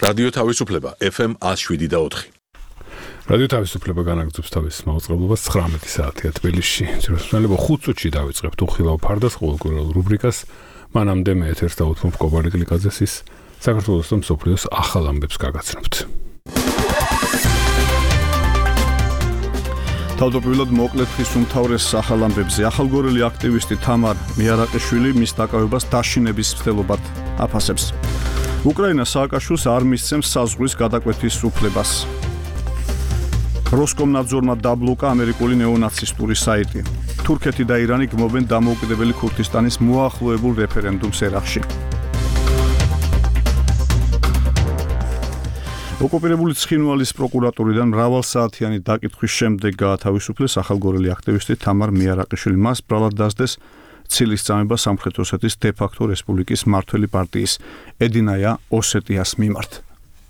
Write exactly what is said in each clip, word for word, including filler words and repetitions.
რადიო თავისუფლება ეფ ემ one oh seven და four. რადიო თავისუფლება განაგრძობს თავის მაუწყებლობას ცხრამეტი საათია თბილისში. ძიროსნელება ხუთ წუთში დავიწყებთ უხილავ ფარდას ყოველკვირეულ რუბრიკას. მანამდე მე ეთერს დავუთმობ კობალე გლიკაძეს ის საქართველოს და მსოფლიოს ახალ ამბებს გაგაცნობთ. თავდაპირველად მოკლედ ხის უმთავრეს ახალ ამბებზე ახალგორელი აქტივისტი თამარ მიარაყიშვილი მის დაკავებას დაშინების მცდელობად აფასებს. უკრაინა სააკაშვილს არ მისცემს საზღვრის გადაკვეთის უფლებას. როსკომნაძორმა დაბლოკა ამერიკული ნეონაცისტური საიტი. თურქეთი და ირანი გმობენ დამოუკიდებელი ქურთისტანის მოახლოებულ რეფერენდუმს ერაყში. ოკუპირებული ცხინვალის პროკურატურიდან მრავალსაათიანი დაკითხვის შემდეგ გაათავისუფლეს ახალგორელი აქტივისტი თამარ მიარაყიშვილი. მას ბრალად დასდეს ცილის წამება სამხრეთ ოსეთის დე-ფაქტო რესპუბლიკის მმართველი პარტიის ედინაია ოსეტიას მიმართ.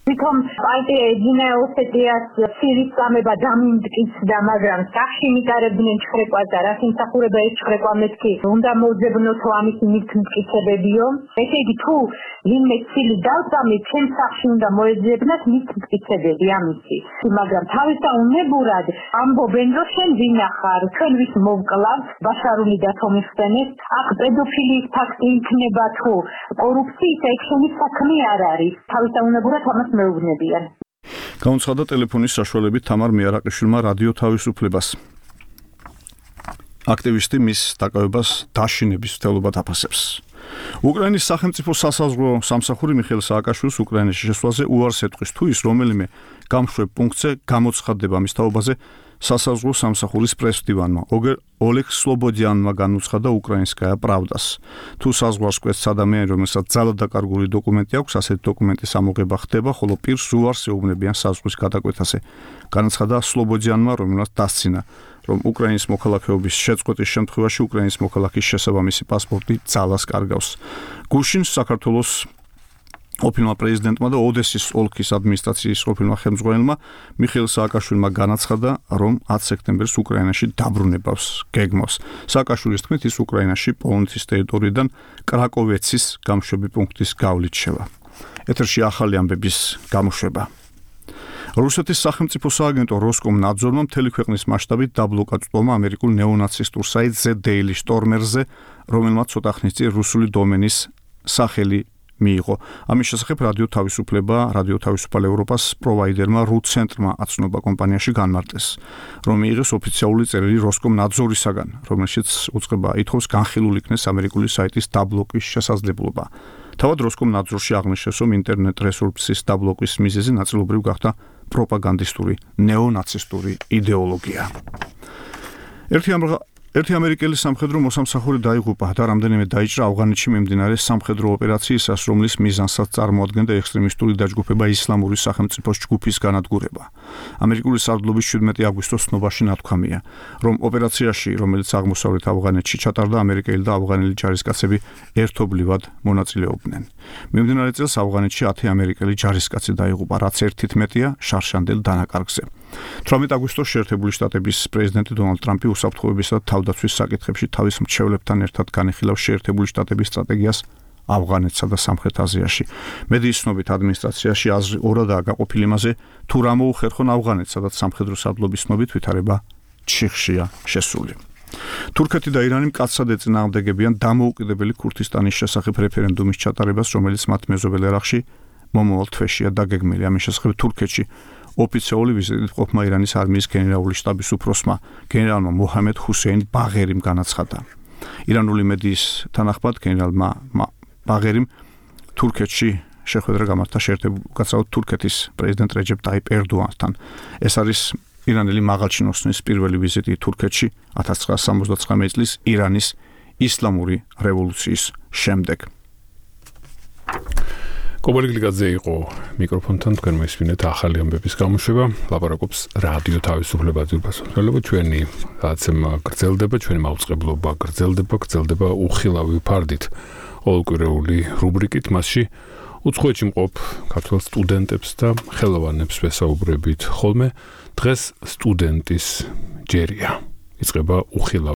თვითონ პარტია ედინაია ოსეტიას ცილის წამება დამიმტკიცდა, მაგრამ სახში მიტარებდნენ ჩხრეკვას და რაც იმსახურება ეს ჩხრეკვა მეთქი უნდა მოძებნოთო ამისი მიტკიცებებიო. ესე იგი თუ ვინმე ცილი დავწამი ჩემ სახში უნდა მოეძებნათ მიტკიცებები ამისი. მაგრამ თავისაუნებურად ამბობენ რომ შენ ვინახარ, ჩვენ ვის მოვკლავ ბაშარული დათომისხდენეს, აქ პედოფილიის ფაქტი იქნება თუ კორუფციის ექშენის საქმე არ არის. თავისაუნებურად ამას მეუბნებიან. გაუცხადა ტელეფონის საშუალებით თამარ მიარაყიშვილმა რადიო თავისუფლებას. აქტივისტი მის დაკავებას დაშინების მცდელობად აფასებს. უკრაინის სახელმწიფო სასაზღვრო სამსახური მიხეილ სააკაშვილს უკრაინაში შესვლაზე უარს ეტყვის თუ ის რომელიმე გამშვებ პუნქტზე გამოცხადდება მის თაობაზე სასაზღვრო სამსახურის პრესდივანმა ოლეგ სლობოდიანმა განუცხადა უკრაინსკაია პრავდას. თუ საზღვარს კვეთს ადამიანი, რომელსაც ძალადაკარგული დოკუმენტი აქვს, ასეთი დოკუმენტის ამოღება ხდება, ხოლო პირს უარს ეუბნებიან საზღვრის გადაკვეთაზე. განაცხადა სლობოდიანმა, რომელსაც დასცინა, რომ უკრაინის მოქალაქეობის შეწყვეტის შემთხვევაში უკრაინის მოქალაქის შესაბამისი პასპორტი ძალას კარგავს. გუშინ საქართველოს ყოფილმა პრეზიდენტმა და ოდესის ოლქის ადმინისტრაციის ყოფილმა ხელმძღვანელმა მიხეილ სააკაშვილმა განაცხადა, რომ ათი სექტემბერს უკრაინაში დაბრუნებას გეგმავს. სააკაშვილის თქმით, ის უკრაინაში პოლონეთის ტერიტორიიდან კრაკოვეცის გამშვები პუნქტის გავლით შევა. ეთერში ახალი ამბების გამოშვება. რუსეთის სახელმწიფო სააგენტო როსკომნაძორმა მთელი ქვეყნის მასშტაბით დაბლოკა წვდომა ამერიკულ ნეონაცისტურ საიტ The Daily Stormer-ზე, რომელმაც ცოტა ხნის წინ რუსული დომენის სახელი მიიღო. ამის შესახებ რადიო თავისუფლება, რადიო თავისუფალ ევროპას პროვაიდერმა რუცენტრმა აცნობა კომპანიაში განმარტეს, რომ მიიღეს ოფიციალური წერილი როსკომნაძორისაგან, რომელშიც უწყება ითხოვს განხილულ იქნეს ამერიკული საიტის დაბლოკის შესაძლებლობა. თავად როსკომნაძორში აღნიშნეს, რომ ინტერნეტ რესურსის დაბლოკის მიზეზი ნაწილობრივ გახდა პროპაგანდისტური ნეონაცისტური იდეოლოგია. ერთი ამბა ერთი ამერიკელი სამხედრო მოსამსახური დაიღუპა და რამდენიმე დაიჭრა ავღანეთში მიმდინარე სამხედრო ოპერაციისას, რომლის მიზანსაც წარმოადგენდა ექსტრემისტული დაჯგუფება ისლამური სახელმწიფოს ჯგუფის განადგურება. ამერიკული სარდლობის შვიდმეტი აგვისტოს ცნობაში ნათქვამია, რომ ოპერაციაში, რომელიც აღმოსავლეთ ავღანეთში ჩატარდა, ამერიკელი და ავღანელი ჯარისკაცები ერთობლივად მონაწილეობდნენ. მიმდინარე წელს ავღანეთში ათი ამერიკელი ჯარისკაცი დაიღუპა, რაც ერთით მეტია შარშანდელ დანაკარგზე. თვრამეტი აგვისტოს შეერთებული შტატების პრეზიდენტი დონალდ ტრამპი უსაფრთხოებისა და თავდაცვის საკითხებში თავის მრჩევლებთან ერთად განიხილავს შეერთებული შტატების სტრატეგიას ავღანეთსა და სამხრეთ აზიაში. მედიის ცნობით ადმინისტრაციაში აზრი ორადაა გაყოფილი იმაზე, თუ რა მოუხერხონ ავღანეთს, სადაც სამხედრო სარდლობის ცნობით ვითარება ჩიხშია შესული. თურქეთი და ირანი მკაცრად ეწინააღმდეგებიან დამოუკიდებელი ქურთისტანის შესახებ რეფერენდუმის ჩატარებას, რომელიც მათ მეზობელ ერაყში მომავალ თვეშია დაგეგმილი. ამის შესახებ თურქეთში ოფიციალური ვიზიტით ყოფმა ირანის არმიის გენერალური შტაბის უფროსმა გენერალმა მოჰამედ ჰუსეინ ბაღერიმ განაცხადა. ირანული მედიის თანახმად გენერალმა ბაღერიმ თურქეთში შეხვედრა გამართა შეერთებულ თურქეთის პრეზიდენტ რეჯეპ ტაიპ ერდოანთან. ეს არის ირანელი მაღალჩინოსნის პირველი ვიზიტი თურქეთში ათას ცხრაასა სამოცდაცხრამეტი წლის ირანის ისლამური რევოლუციის შემდეგ. კობალე გლიკაძე იყო მიკროფონთან, თქვენ მოისმინეთ ახალი ამბების გამოშვება. ლაპარაკობს რადიო თავისუფლება ძირფასმცველობა, ჩვენი გადაცემა გრძელდება, ჩვენი მაუწყებლობა გრძელდება, გრძელდება უხილავი ფარდით ყოველკვირეული რუბრიკით, მასში უცხოეთში მყოფ ქართველ სტუდენტებს და ხელოვანებს ვესაუბრებით ხოლმე. დღეს სტუდენტის ჯერია. იწყება უხილავი